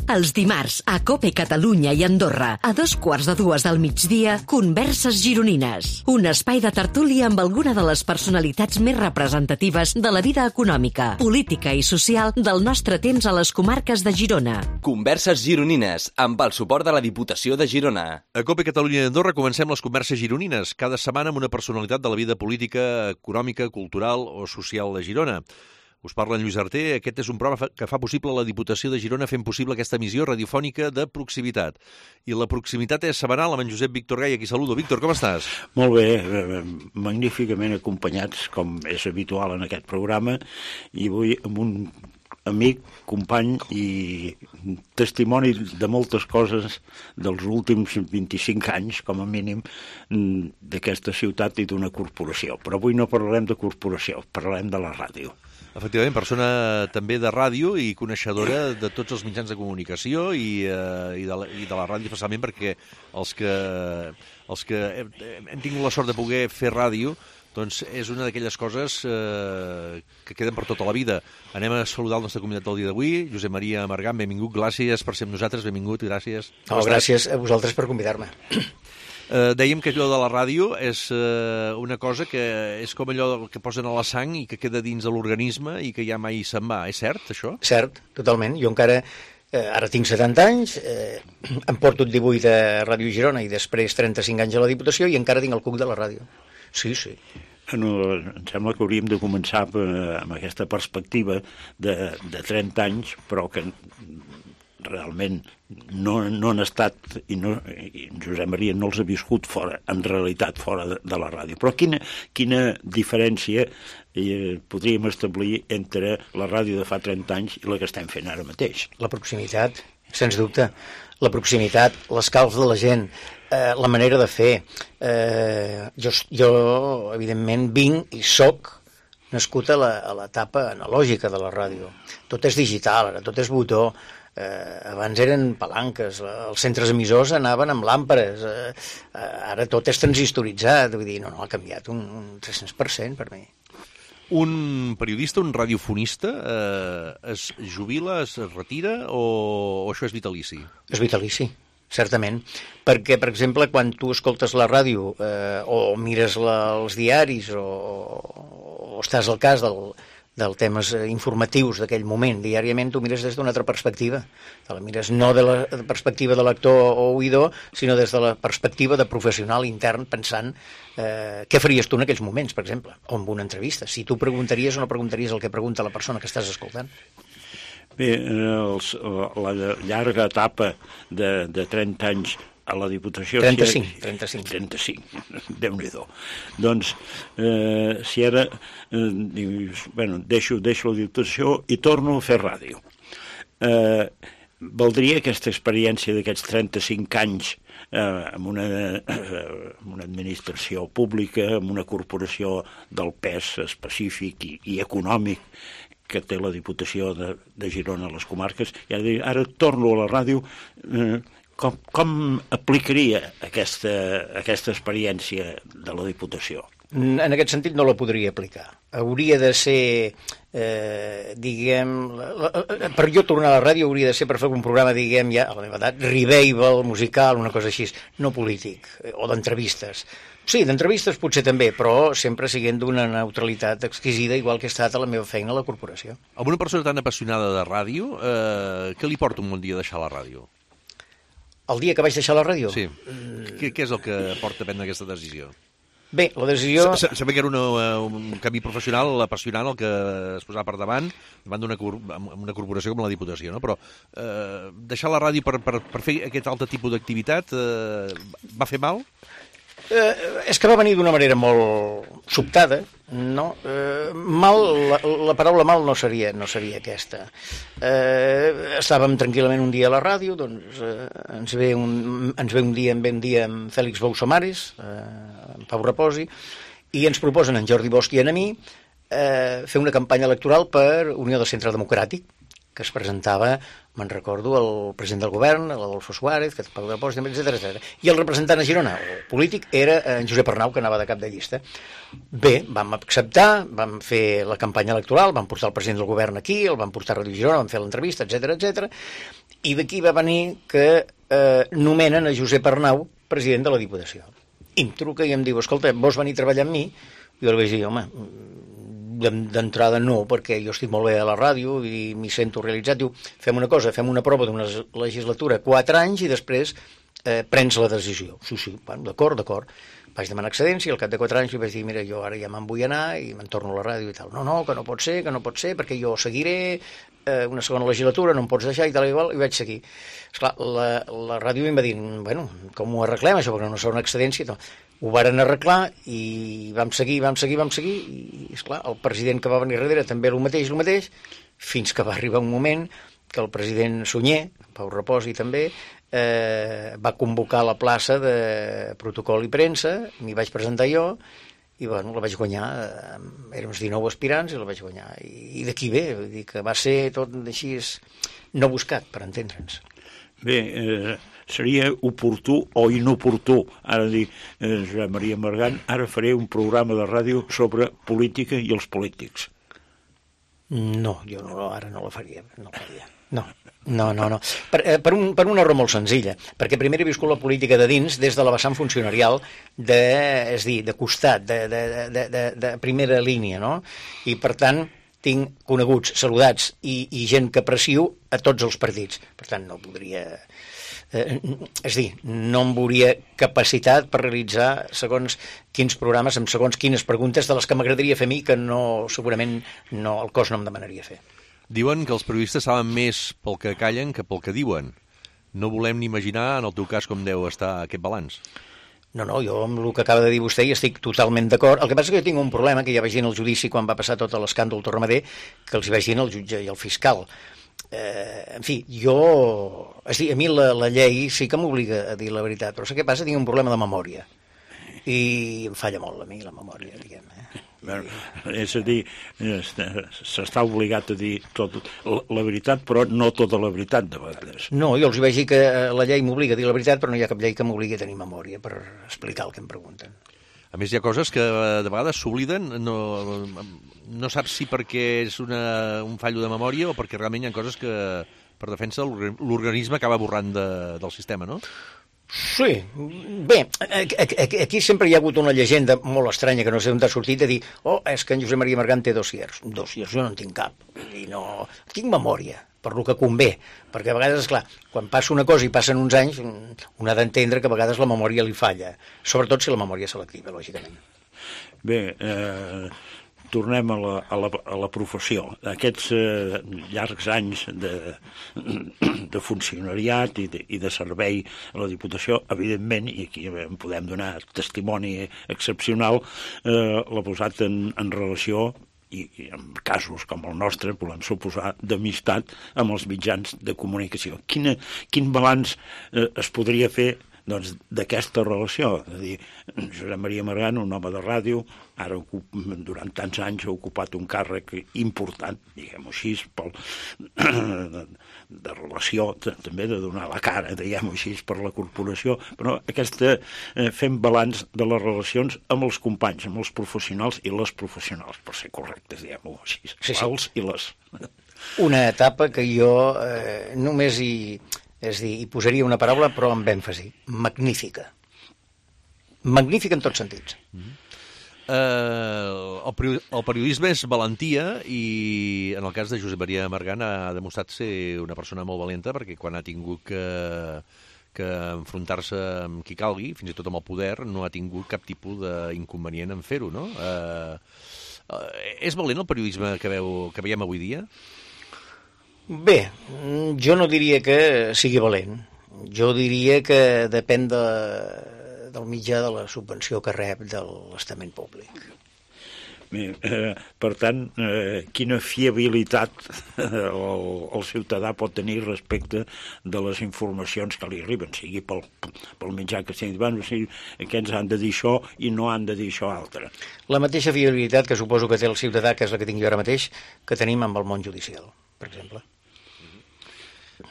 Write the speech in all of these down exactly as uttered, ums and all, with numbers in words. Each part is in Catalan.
Els dimarts, a COPE Catalunya i Andorra, a dos quarts de dues del migdia, Converses Gironines. Un espai de tertúlia amb alguna de les personalitats més representatives de la vida econòmica, política i social del nostre temps a les comarques de Girona. Converses Gironines, amb el suport de la Diputació de Girona. A COPE Catalunya i Andorra comencem les Converses Gironines, cada setmana amb una personalitat de la vida política, econòmica, cultural o social de Girona. Us parla en Lluís Arter. Aquest és un programa que fa possible la Diputació de Girona fent possible aquesta emissió radiofònica de proximitat. I la proximitat és setmanal amb en Josep Víctor Gai, aquí saludo. Víctor, com estàs? Molt bé, magníficament acompanyats, com és habitual en aquest programa, i avui amb un amic, company i testimoni de moltes coses dels últims vint-i-cinc anys, com a mínim, d'aquesta ciutat i d'una corporació. Però avui no parlarem de corporació, parlarem de la ràdio. Efectivament, persona també de ràdio i coneixedora de tots els mitjans de comunicació i, eh, i, de, la, i de la ràdio, especialment perquè els que, els que hem, hem tingut la sort de poder fer ràdio, doncs és una d'aquelles coses eh, que queden per tota la vida. Anem a saludar el nostre convidat del dia d'avui, Josep Maria Margant, benvingut, gràcies per ser amb nosaltres, benvingut, gràcies. No, gràcies a vosaltres per convidar-me. Eh, dèiem que allò de la ràdio és eh, una cosa que és com allò que posen a la sang i que queda dins de l'organisme i que ja mai se'n va. És cert, això? Cert, totalment. Jo encara, eh, ara tinc setanta anys, eh, em porto divuit a Ràdio Girona i després trenta-cinc anys a la Diputació i encara tinc el cuc de la ràdio. Sí, sí. Bueno, em sembla que hauríem de començar amb aquesta perspectiva de, de trenta anys, però que realment no, no han estat, i, no, i Josep Maria no els ha viscut fora, en realitat fora de, de la ràdio. Però quina, quina diferència eh, podríem establir entre la ràdio de fa trenta anys i la que estem fent ara mateix? La proximitat, sens dubte. La proximitat, l'escalf de la gent, eh, la manera de fer. Eh, jo, jo, evidentment, vinc i soc nascut a l'etapa analògica de la ràdio. Tot és digital, ara tot és botó. Eh, abans eren palanques, els centres emissors anaven amb làmperes, eh, ara tot és transistoritzat, vull dir, no, no, ha canviat un, un tres-cents per cent per mi. Un periodista, un radiofonista, eh, es jubila, es retira o, o això és vitalici? És vitalici, certament, perquè, per exemple, quan tu escoltes la ràdio eh, o mires la, els diaris o, o estàs al cas del dels temes informatius d'aquell moment, diàriament tu mires des d'una altra perspectiva. Te la mires no de la perspectiva de lector o oïdor, sinó des de la perspectiva de professional intern, pensant eh, què faries tu en aquells moments, per exemple, o en una entrevista. Si tu preguntaries o no preguntaries el que pregunta la persona que estàs escoltant. Bé, els, la llarga etapa de, de trenta anys a la Diputació... trenta-cinc, trenta-cinc. trenta-cinc, Déu-n'hi-do. Doncs, eh, si ara eh, dius, bueno, deixo, deixo la Diputació i torno a fer ràdio. Eh, valdria aquesta experiència d'aquests trenta-cinc anys eh, amb, una, eh, amb una administració pública, amb una corporació del pes específic i, i econòmic que té la Diputació de, de Girona a les comarques, i ara, ara torno a la ràdio... Eh, Com, com aplicaria aquesta, aquesta experiència de la Diputació? En aquest sentit no la podria aplicar. Hauria de ser, eh, diguem... La, la, per jo tornar a la ràdio hauria de ser per fer un programa, diguem, ja a la meva edat, revival, musical, una cosa així, no polític, o d'entrevistes. Sí, d'entrevistes potser també, però sempre siguent d'una neutralitat exquisida, igual que he estat a la meva feina a la corporació. A una persona tan apassionada de ràdio, eh, què li porta un bon dia deixar la ràdio? El dia que vaig deixar la ràdio? Sí. Què, què és el que porta a prendre aquesta decisió? Bé, la decisió... Sabia que era una, un camí professional apassionant el que es posava per davant, davant d'una una corporació com la Diputació, no? Però eh, deixar la ràdio per, per, per fer aquest altre tipus d'activitat eh, va fer mal? Eh, és que va venir d'una manera molt sobtada, no? Eh, mal, la, la paraula mal no seria, no seria aquesta. Eh, estàvem tranquil·lament un dia a la ràdio, doncs eh, ens, ve un, ens ve un dia, en ve un dia amb Fèlix Boussamares, eh, en Pau Reposi, i ens proposen en Jordi Bosch i a mi eh, fer una campanya electoral per Unió del Centre Democràtic. que es presentava, me'n recordo, el president del govern, l'Adolfo Suárez, que Pau de Post, etcètera, etcètera. I el representant a Girona, el polític, era en Josep Arnau, que anava de cap de llista. Bé, vam acceptar, vam fer la campanya electoral, vam portar el president del govern aquí, el vam portar a Ràdio Girona, vam fer l'entrevista, etcètera, etcètera. I d'aquí va venir que eh, nomenen a Josep Arnau president de la Diputació. I em truca i em diu, escolta, vols venir a treballar amb mi? Jo li vaig dir, home, d'entrada no, perquè jo estic molt bé a la ràdio i m'hi sento realitzat. Diu, fem una cosa, fem una prova d'una legislatura, quatre anys, i després eh, prens la decisió. Sí, sí, bueno, d'acord, d'acord. Vaig demanar excedència i al cap de quatre anys li vaig dir, mira, jo ara ja me'n vull anar i me'n torno a la ràdio i tal. No, no, que no pot ser, que no pot ser, perquè jo seguiré eh, una segona legislatura, no em pots deixar i tal i igual, i vaig seguir. Esclar, la, la ràdio em va dir, bueno, com ho arreglem això, perquè no serà una excedència i tal. Ho varen arreglar i vam seguir, vam seguir, vam seguir, i esclar, el president que va venir darrere també el mateix, el mateix, fins que va arribar un moment que el president Sunyer, Pau Reposi també, eh, va convocar la plaça de protocol i premsa, m'hi vaig presentar jo, i bueno, la vaig guanyar, eh, érem uns dinou aspirants i la vaig guanyar, i, i d'aquí ve, vull dir que va ser tot així no buscat, per entendre'ns. Bé, eh, seria oportú o inoportú, ara dir, eh, Josep Maria Margant, ara faré un programa de ràdio sobre política i els polítics. No, jo no, ara no la faria, no la faria. No, no, no. no. Per, eh, per, un, per una raó molt senzilla, perquè primer he viscut la política de dins des de la vessant funcionarial, de, és dir, de costat, de, de, de, de, de primera línia, no? I per tant tinc coneguts, saludats i, i gent que aprecio a tots els partits. Per tant, no podria... Eh, és dir, no em veuria capacitat per realitzar segons quins programes, amb segons quines preguntes de les que m'agradaria fer a mi, que no, segurament no, el cos no em demanaria fer. Diuen que els periodistes saben més pel que callen que pel que diuen. No volem ni imaginar, en el teu cas, com deu estar aquest balanç. No, no, jo amb el que acaba de dir vostè hi estic totalment d'acord. El que passa és que jo tinc un problema, que ja vaig dir en el judici quan va passar tot l'escàndol Torremadé, que els hi vaig dir al jutge i al fiscal. Eh, en fi, jo... És dir, a mi la, la llei sí que m'obliga a dir la veritat, però sé què passa? Tinc un problema de memòria. I em falla molt a mi la memòria, diguem. Eh? Bueno, és a dir, s'està obligat a dir tot, la veritat, però no tota la veritat, de vegades. No, jo els vaig dir que la llei m'obliga a dir la veritat, però no hi ha cap llei que m'obligui a tenir memòria per explicar el que em pregunten. A més, hi ha coses que de vegades s'obliden, no, no saps si perquè és una, un fallo de memòria o perquè realment hi ha coses que, per defensa, l'organisme acaba borrant de, del sistema, no? Sí, bé, aquí sempre hi ha hagut una llegenda molt estranya que no sé on ha sortit de dir, oh, és que en Josep Maria Margant té dossiers. Dossiers jo no en tinc cap, i no... Tinc memòria, per lo que convé, perquè a vegades, esclar, quan passa una cosa i passen uns anys, un ha d'entendre que a vegades la memòria li falla, sobretot si la memòria és selectiva, lògicament. Bé, eh, tornem a la, a la, a la professió. Aquests eh, llargs anys de, de funcionariat i de, i de servei a la Diputació, evidentment, i aquí en podem donar testimoni excepcional, eh, l'ha posat en, en relació i, i en casos com el nostre volem suposar d'amistat amb els mitjans de comunicació. Quina, quin balanç eh, es podria fer doncs, d'aquesta relació? És a dir, Josep Maria Margant, un home de ràdio, ara durant tants anys ha ocupat un càrrec important, diguem-ho així, pel, de, de relació, també de donar la cara, diguem-ho així, per la corporació, però aquesta, eh, fem balanç de les relacions amb els companys, amb els professionals i les professionals, per ser correctes, diguem-ho així, sí, sí. Els i les. Una etapa que jo eh, només hi... És dir, hi posaria una paraula, però amb èmfasi. Magnífica. Magnífica en tots sentits. Mm-hmm. Uh, el, el periodisme és valentia i en el cas de Josep Maria Margant ha demostrat ser una persona molt valenta perquè quan ha tingut que, que enfrontar-se amb qui calgui, fins i tot amb el poder, no ha tingut cap tipus d'inconvenient en fer-ho, no? Uh, uh, és valent el periodisme que, veu, que veiem avui dia? Bé, jo no diria que sigui valent. Jo diria que depèn de, del mitjà de la subvenció que rep de l'estament públic. Bé, eh, per tant, eh, quina fiabilitat el, el ciutadà pot tenir respecte de les informacions que li arriben, sigui pel, pel mitjà que sigui, bueno, sigui, aquests han de dir això i no han de dir això altre. La mateixa fiabilitat que suposo que té el ciutadà, que és la que tinc jo ara mateix, que tenim amb el món judicial, per exemple.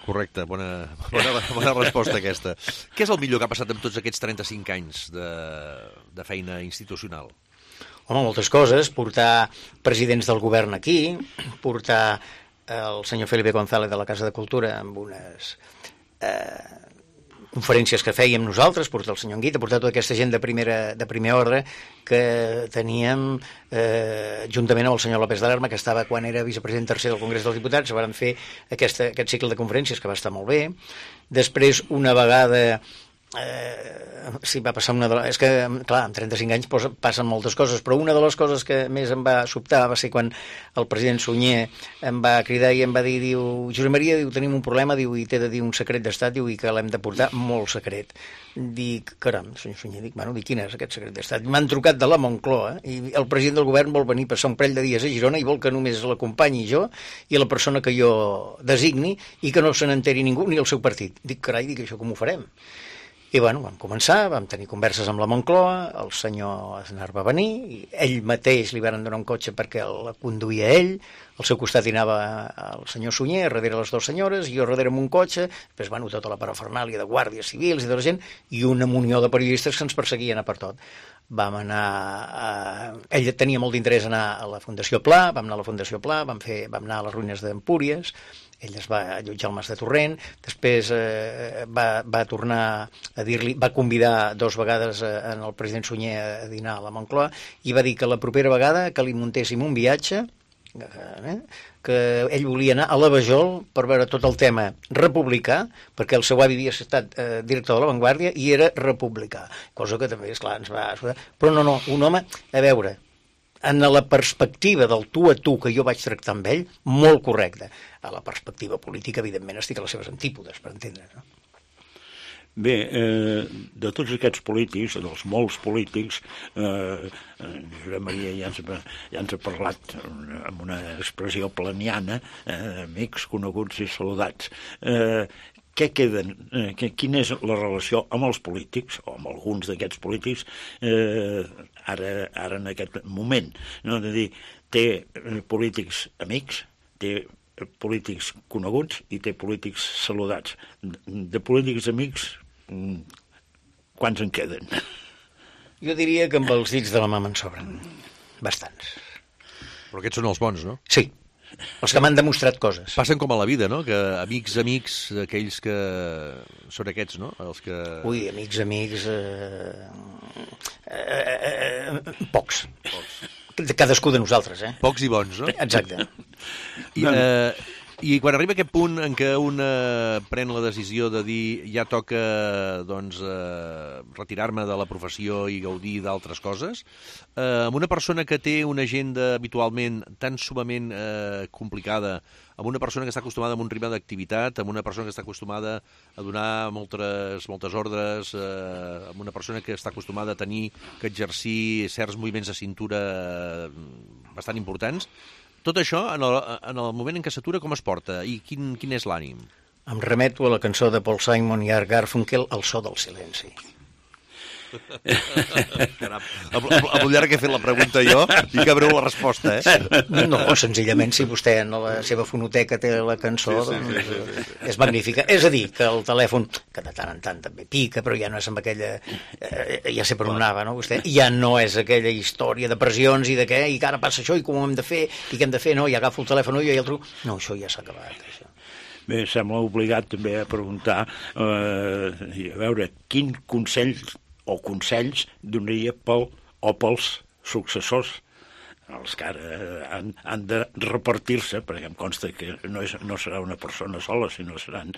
Correcte, bona, bona, bona resposta aquesta. Què és el millor que ha passat amb tots aquests trenta-cinc anys de, de feina institucional? Home, moltes coses. Portar presidents del govern aquí, portar el senyor Felipe González de la Casa de Cultura amb unes eh, conferències que fèiem nosaltres, portar el senyor Anguita, portar tota aquesta gent de, primera, de primer ordre que teníem eh, juntament amb el senyor López d'Alarma, que estava quan era vicepresident tercer del Congrés dels Diputats. Van fer aquesta, aquest cicle de conferències que va estar molt bé. Després, una vegada Eh, sí, va passar una de les... És que, clar, amb trenta-cinc anys posa, passen moltes coses, però una de les coses que més em va sobtar va ser quan el president Sunyer em va cridar i em va dir, diu, Josep Maria, diu, tenim un problema, diu, i t'he de dir un secret d'estat, diu, i que l'hem de portar molt secret. Dic, caram, senyor Sunyer, dic, bueno, dic, quin és aquest secret d'estat? M'han trucat de la Moncloa i el president del govern vol venir a passar un parell de dies a Girona i vol que només l'acompanyi jo i la persona que jo designi i que no se n'enteri ningú ni el seu partit. Dic, carai, dic, això com ho farem? I bueno, vam començar, vam tenir converses amb la Moncloa, el senyor Aznar va venir, i ell mateix li van donar un cotxe perquè la conduïa ell, al seu costat hi anava el senyor Sunyer, darrere les dues senyores, i jo darrere amb un cotxe, després, bueno, tota la parafernàlia de guàrdies civils i de la gent, i una munió de periodistes que ens perseguien a per tot. Vam anar a... Ell tenia molt d'interès anar a la Fundació Pla, vam anar a la Fundació Pla, vam, fer... vam anar a les ruïnes d'Empúries, ell es va allotjar al Mas de Torrent, després eh, va, va tornar a dir-li, va convidar dos vegades eh, en el president Sunyer a dinar a la Moncloa i va dir que la propera vegada que li muntéssim un viatge, eh, que ell volia anar a la Vajol per veure tot el tema republicà, perquè el seu avi havia estat eh, director de La Vanguardia i era republicà, cosa que també, esclar, ens va... Però no, no, un home, a veure, en la perspectiva del tu a tu que jo vaig tractar amb ell, molt correcte. A la perspectiva política, evidentment, estic a les seves antípodes, per entendre's, no? Bé, eh, de tots aquests polítics, dels molts polítics, eh, Josep Maria ja ens, ja ens ha parlat amb una expressió planiana, eh, amics, coneguts i saludats. Eh, què queden? Eh, quina és la relació amb els polítics, o amb alguns d'aquests polítics, eh, ara, ara en aquest moment? No? És a dir, té polítics amics, té polítics coneguts i té polítics saludats. De polítics amics, quants en queden? Jo diria que amb els dits de la mà me'n sobren. Bastants. Però aquests són els bons, no? Sí. Els que m'han demostrat coses. Passen com a la vida, no? Que amics, amics, aquells que són aquests, no? Els que... Ui, amics, amics... Eh... Eh, eh, pocs. Pocs. Cadascú de nosaltres, eh? Pocs i bons, no? Exacte. I, eh, I quan arriba aquest punt en què un eh, pren la decisió de dir ja toca doncs, eh, retirar-me de la professió i gaudir d'altres coses, eh, amb una persona que té una agenda habitualment tan sumament eh, complicada, amb una persona que està acostumada a un ritme d'activitat, amb una persona que està acostumada a donar moltes, moltes ordres, eh, amb una persona que està acostumada a tenir que exercir certs moviments de cintura bastant importants, tot això, en el, en el moment en què s'atura, com es porta? I quin, quin és l'ànim? Em remeto a la cançó de Paul Simon i Art Garfunkel, El so del silenci. Caram, amb, amb, amb el llarg que he fet la pregunta jo i que abreu la resposta, eh? No, senzillament, si vostè en la seva fonoteca té la cançó, sí, sí, doncs, sí, sí, sí, sí. És magnífica. És a dir, que el telèfon, que de tant en tant també pica, però ja no és amb aquella... Eh, ja sé per on anava, no, vostè? Ja no és aquella història de pressions i de què, i que ara passa això, i com ho hem de fer, i què hem de fer, no, i agafo el telèfon jo i el truco. No, això ja s'ha acabat, això. Bé, sembla obligat també a preguntar, eh, a veure, quin consell o consells donaria pel o pels successors, els que ara han, han de repartir-se, perquè em consta que no, és, no serà una persona sola, sinó seran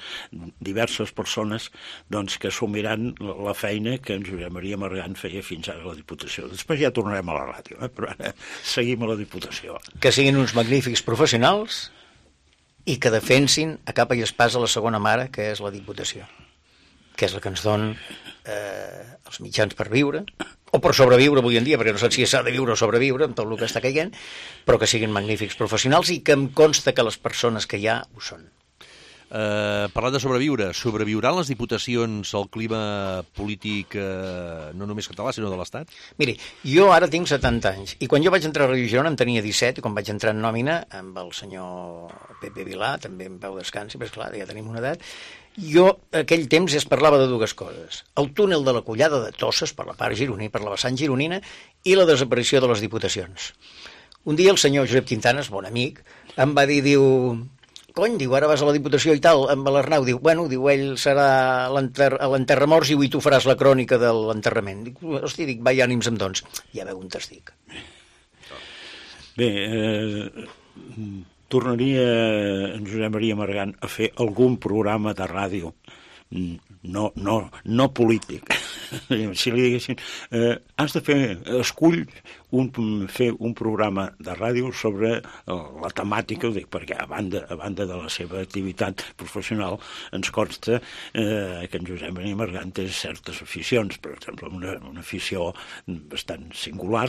diverses persones doncs, que assumiran la feina que en Josep Maria Margant feia fins ara a la Diputació. Després ja tornarem a la ràdio, eh? Però ara seguim a la Diputació. Que siguin uns magnífics professionals i que defensin a capa i espasa la segona mare, que és la Diputació, que és la que ens dona eh, els mitjans per viure, o per sobreviure avui en dia, perquè no sé si s'ha de viure o sobreviure amb tot el que està caient, però que siguin magnífics professionals i que em consta que les persones que hi ha ho són. Eh, parlant de sobreviure, sobreviuran les diputacions al clima polític eh, no només català, sinó de l'Estat? Miri, jo ara tinc setanta anys, i quan jo vaig entrar a Ràdio Girona en tenia disset, i quan vaig entrar en nòmina amb el senyor Pepe Vilà, també en pau descansi, però esclar, ja tenim una edat, jo, aquell temps, es parlava de dues coses. El túnel de la Collada de Tosses, per la part gironina, per la vessant gironina, i la desaparició de les diputacions. Un dia el senyor Josep Quintanes, bon amic, em va dir, diu... Cony, diu, ara vas a la Diputació i tal, amb l'Arnau, diu, bueno, diu, ell serà a l'enterramorts i tu faràs la crònica de l'enterrament. Dic, hosti, dic, vai ànims amb doncs. Ja veu on t'estic. Bé, eh, tornaria en Josep Maria Margant a fer algun programa de ràdio, no, no, no polític. Si li diguessin, eh, has de fer, escull un, fer un programa de ràdio sobre la temàtica, ho dic, perquè a banda, a banda de la seva activitat professional ens consta eh, que en Josep Maria Margant té certes aficions. Per exemple, una, una afició bastant singular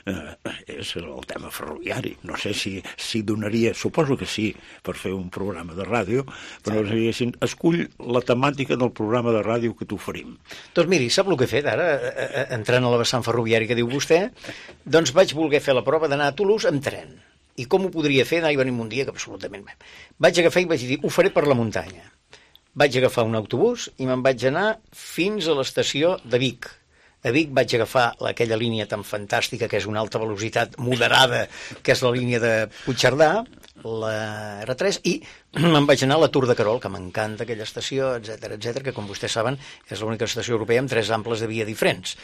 eh, és el tema ferroviari. No sé si, si donaria, suposo que sí, per fer un programa de ràdio, però si diguessin, escull la temàtica del programa de ràdio que t'oferim. Doncs miri, sap el que he fet ara, entrant a la vessant ferroviària que diu vostè? Doncs vaig voler fer la prova d'anar a Toulouse amb tren. I com ho podria fer? Anar i venir un dia que absolutament... Vaig agafar i vaig dir, ho faré per la muntanya. Vaig agafar un autobús i me'n vaig anar fins a l'estació de Vic. A Vic vaig agafar aquella línia tan fantàstica que és una alta velocitat moderada, que és la línia de Puigcerdà, la erre tres, i me'n vaig anar a la Tour de Querol, que m'encanta aquella estació, etcètera, etcètera, que com vostès saben és l'única estació europea amb tres amples de via diferents.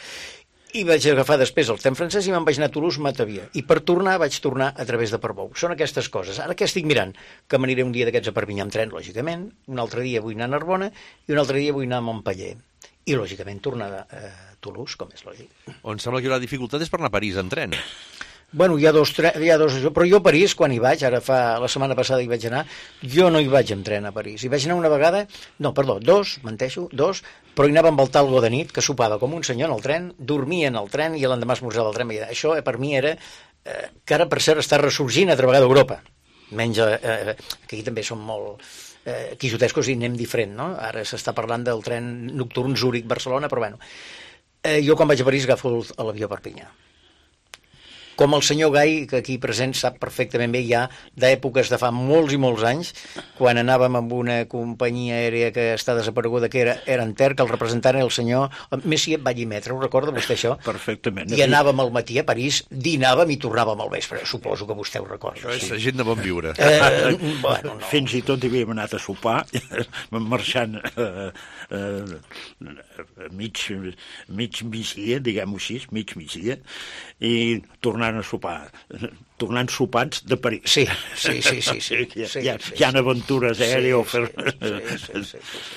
I vaig agafar després el tren francès i me'n vaig anar a Toulouse-Matavia. I per tornar vaig tornar a través de Portbou. Són aquestes coses. Ara què estic mirant? Que m'aniré un dia d'aquests a Perpinyà amb tren, lògicament, un altre dia vull anar a Narbona i un altre dia vull anar a Montpeller. I, lògicament, tornar a Toulouse, com és lògic. On sembla que hi haurà dificultat és per anar a París en tren. Bueno, hi ha dos, hi ha dos... Però jo a París, quan hi vaig, ara fa la setmana passada hi vaig anar, jo no hi vaig amb tren a París. Hi vaig anar una vegada, no, perdó, dos, menteixo, dos, però hi anava amb el talgo de nit, que sopava com un senyor en el tren, dormia en el tren i l'endemà esmorzava al tren. Això eh, per mi era, eh, que ara per cert està ressorgint altra vegada a Europa. Menys, eh, que aquí també som molt eh, quixotescos i anem diferent, no? Ara s'està parlant del tren nocturn Zúrich-Barcelona, però bueno. Eh, jo quan vaig a París agafo l'avió a Perpinyà. Com el senyor Gai, que aquí present sap perfectament bé, ja d'èpoques de fa molts i molts anys, quan anàvem amb una companyia aèria que està desapareguda, que era Enter, que el representant era el senyor Messier Ballimetre, ho recorda vostè això? Perfectament. I anàvem al matí a París, dinàvem i tornàvem al vespre, suposo que vostè ho recorda. Això és sí. Gent de bon viure. Eh, bueno, no. Fins i tot hi havíem anat a sopar, marxant eh, eh, mig, mig migdia, diguem-ho així, mig migdia, i tornant a sopar, tornant sopats de París. Sí, sí, sí, sí. sí, sí, sí, hi, ha, sí, hi ha aventures aèries sí, sí, sí, sí, sí, sí.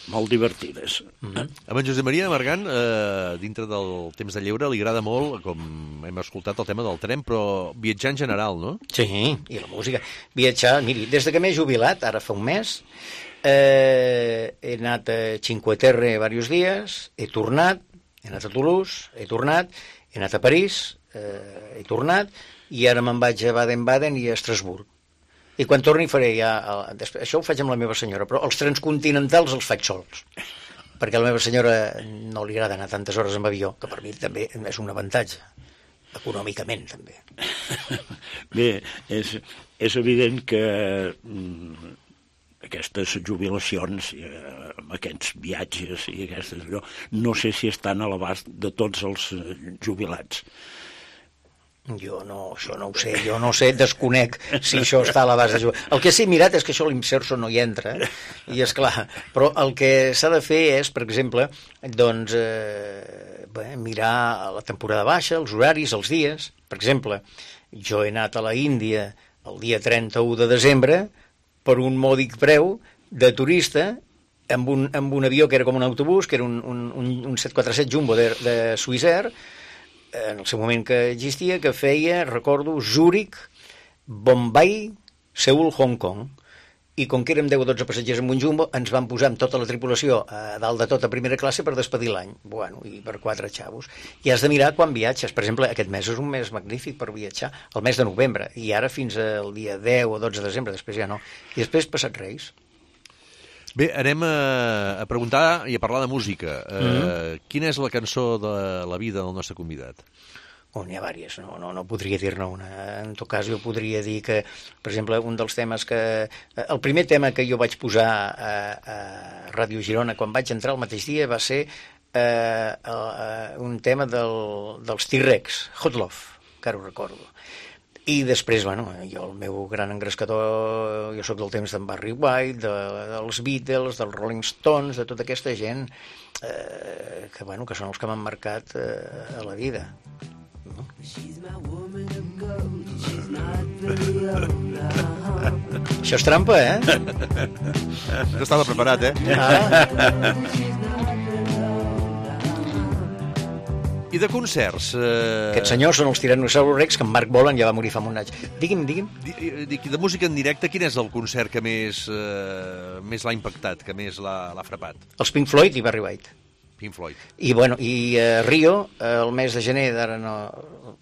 molt divertides. Mm-hmm. A en Josep Maria Margant, eh, dintre del temps de lleure, li agrada molt, com hem escoltat, el tema del tren, però viatjar en general, no? Sí, i la música. Viatjar, miri, des de que m'he jubilat, ara fa un mes, eh, he anat a Cinque Terre diversos dies, he tornat, he anat a Toulouse, he tornat, he anat a París, eh, he tornat, i ara me'n vaig a Baden-Baden i a Estrasburg. I quan torni faré ja... El, això ho faig amb la meva senyora, però els trens continentals els faig sols, perquè a la meva senyora no li agrada anar tantes hores amb avió, que per mi també és un avantatge, econòmicament també. Bé, és, és evident que mm, aquestes jubilacions, eh, amb aquests viatges i aquestes... allò, no sé si estan a l'abast de tots els jubilats. Jo no, això no ho sé, jo no sé, desconec si això està a l'abast de jugar. El que sí mirat és que això l'Imserso no hi entra, i és clar, però el que s'ha de fer és, per exemple, doncs, eh, bé, mirar la temporada baixa, els horaris, els dies. Per exemple, jo he anat a la Índia el dia trenta-u de desembre per un mòdic preu de turista amb un, amb un avió que era com un autobús, que era un, un, un set quatre set Jumbo de, de Swissair, en el seu moment que existia, que feia, recordo, Zúrich, Bombay, Seul, Hong Kong. I com que érem deu o dotze passatgers amb un Jumbo, ens van posar amb tota la tripulació a dalt de tot a primera classe per despedir l'any. Bueno, i per quatre xavos. I has de mirar quan viatges. Per exemple, aquest mes és un mes magnífic per viatjar, el mes de novembre, i ara fins al dia deu o dotze de desembre, després ja no. I després passat Reis. Bé, anem a, a preguntar i a parlar de música. Uh, Mm-hmm. Quina és la cançó de la vida del nostre convidat? Oh, n'hi ha diverses, no, no, no podria dir-ne una. En tot cas, jo podria dir que, per exemple, un dels temes que... El primer tema que jo vaig posar a, a Ràdio Girona quan vaig entrar el mateix dia va ser eh, uh, un tema del, dels T-Rex, Hot Love, encara ho recordo. I després, bueno, jo el meu gran engrescador, jo sóc del temps d'en Barry White, de, dels Beatles, dels Rolling Stones, de tota aquesta gent eh, que, bueno, que són els que m'han marcat eh, a la vida. No? Això és trampa, eh? No estava preparat, eh? Ah. I de concerts? Eh... Aquests senyors són els Tyrannosaurus Rex, que en Marc Bolan ja va morir fa un any. Digui'm, digui'm. De, de música en directe, quin és el concert que més, eh, més l'ha impactat, que més l'ha frapat? Els Pink Floyd i Barry White. Pink Floyd. I, bueno, i uh, Rio, uh, el mes de gener d'ara no,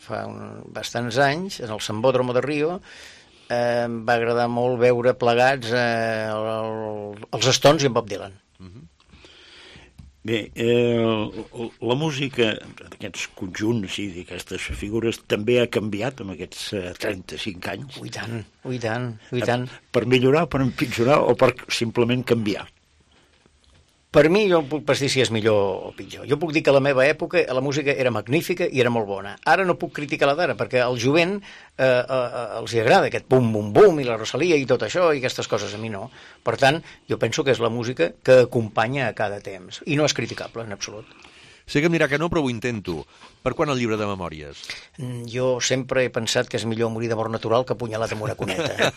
fa un, bastants anys, en el Sambódromo de Rio, eh, em va agradar molt veure plegats eh, el, el, els Stones i en Bob Dylan. Uh-huh. Bé, eh, la música d'aquests conjunts i d'aquestes figures també ha canviat en aquests eh, trenta-cinc anys. Ui tant, ui tant, ui tant. Per millorar, per empitjorar o per simplement canviar? Per mi, jo puc pas dir si és millor o pitjor. Jo puc dir que a la meva època la música era magnífica i era molt bona. Ara no puc criticar la d'ara, perquè al jovent eh, eh, els hi agrada aquest bum-bum-bum i la Rosalia i tot això i aquestes coses, a mi no. Per tant, jo penso que és la música que acompanya a cada temps. I no és criticable, en absolut. Sé que em dirà que no, però ho intento. Per quan el llibre de memòries? Jo sempre he pensat que és millor morir de mort natural que apunyalat amb una cuneta.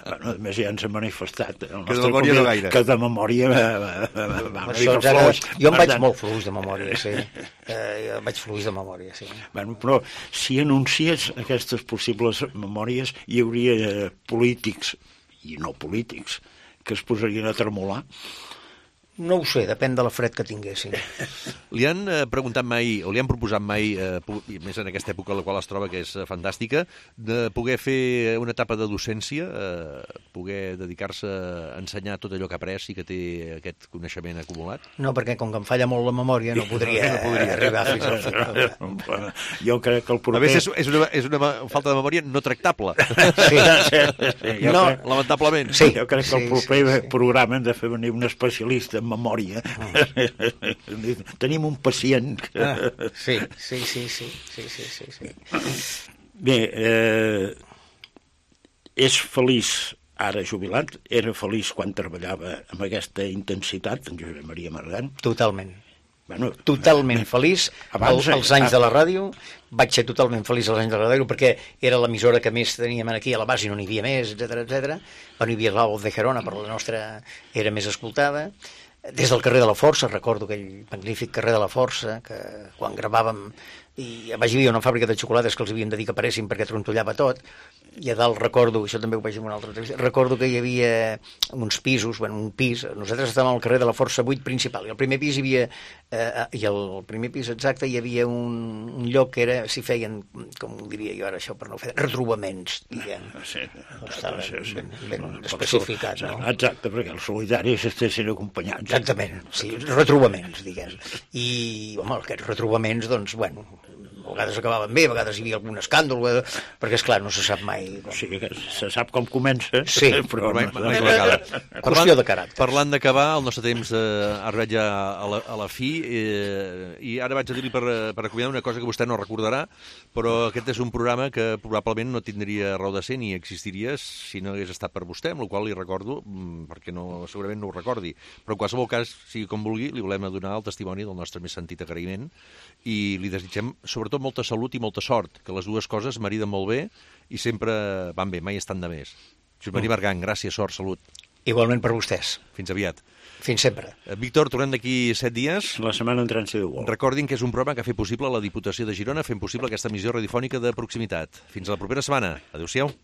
Bueno, a més ja ens ha manifestat el que de nostre memòria no gaire. Que de memòria va, va, va, va una Això, mica fluix. Jo em vaig tant... molt fluix de memòria, sí. Eh, jo vaig fluix de memòria, sí. Bueno, però si anunciés aquestes possibles memòries hi hauria eh, polítics i no polítics que es posarien a tremolar. No ho sé, depèn de la fred que tinguessin. Li han eh, preguntat mai, o li han proposat mai, eh, i més en aquesta època en la qual es troba, que és eh, fantàstica, de poder fer una etapa de docència, eh, poder dedicar-se a ensenyar tot allò que ha après i que té aquest coneixement acumulat? No, perquè com que em falla molt la memòria no podria, no podria arribar fins al final. Jo crec que el proper... A més, és, és, una, és una falta de memòria no tractable. Sí, sí, sí, jo no, crec... lamentablement. Sí, jo crec que el proper sí, sí. programa hem de fer venir un especialista en memòria. Oh. Tenim un pacient que... Ah, sí, sí, sí, sí, sí, sí, sí, sí. Bé, eh, és feliç ara jubilat, era feliç quan treballava amb aquesta intensitat, en Josep Maria Margan. Totalment. Bueno, totalment eh, feliç abans, el, els anys de la ràdio, vaig ser totalment feliç als anys de la ràdio perquè era l'emissora que més teníem aquí a la base i no n'hi havia més, etcètera, etcètera. Bueno, hi havia la Voz de Gerona, però la nostra era més escoltada. Des del carrer de la Força, recordo aquell magnífic carrer de la Força, que quan gravàvem, i a baix hi havia una fàbrica de xocolates que els havíem de dir que paressin perquè trontollava tot, i a dalt recordo, això també ho vaig dir en una altra entrevista, recordo que hi havia uns pisos, bueno, un pis, nosaltres estàvem al carrer de la Força vuit principal, i al primer pis hi havia, eh, i al primer pis exacte hi havia un, un lloc que era, si feien, com ho diria jo ara això per no fer, retrobaments, diguem. Sí, no estava sí, sí. ben, ben especificat, no? Exacte, perquè els solidaris estessin acompanyats. Exactament, sí, retrobaments, diguem. I, home, aquests retrobaments, doncs, bueno, a vegades acabaven bé, a vegades hi havia algun escàndol, perquè, esclar, no se sap mai. Com... Sí, se sap com comença, sí, però... mai, no, mai no, no, qüestió de caràcter. Parlant d'acabar, el nostre temps eh, ha arribat ja a la, a la fi, eh, i ara vaig a dir-li per, per acomiadar una cosa que vostè no recordarà, però aquest és un programa que probablement no tindria raó de ser ni existiria si no hagués estat per vostè, amb la qual li recordo, perquè no, segurament no ho recordi, però en qualsevol cas, sigui com vulgui, li volem donar el testimoni del nostre més sentit agraïment i li desitgem, sobretot, molta salut i molta sort, que les dues coses mariden molt bé i sempre van bé, mai estan de més. Josep Maria Margan, gràcies, sort, salut. Igualment per vostès. Fins aviat. Fins sempre. Víctor, tornem d'aquí set dies. La setmana entrant si Déu vol. Recordin que és un programa que ha fet possible la Diputació de Girona, fent possible aquesta emissió radiofònica de proximitat. Fins a la propera setmana. Adéu-siau.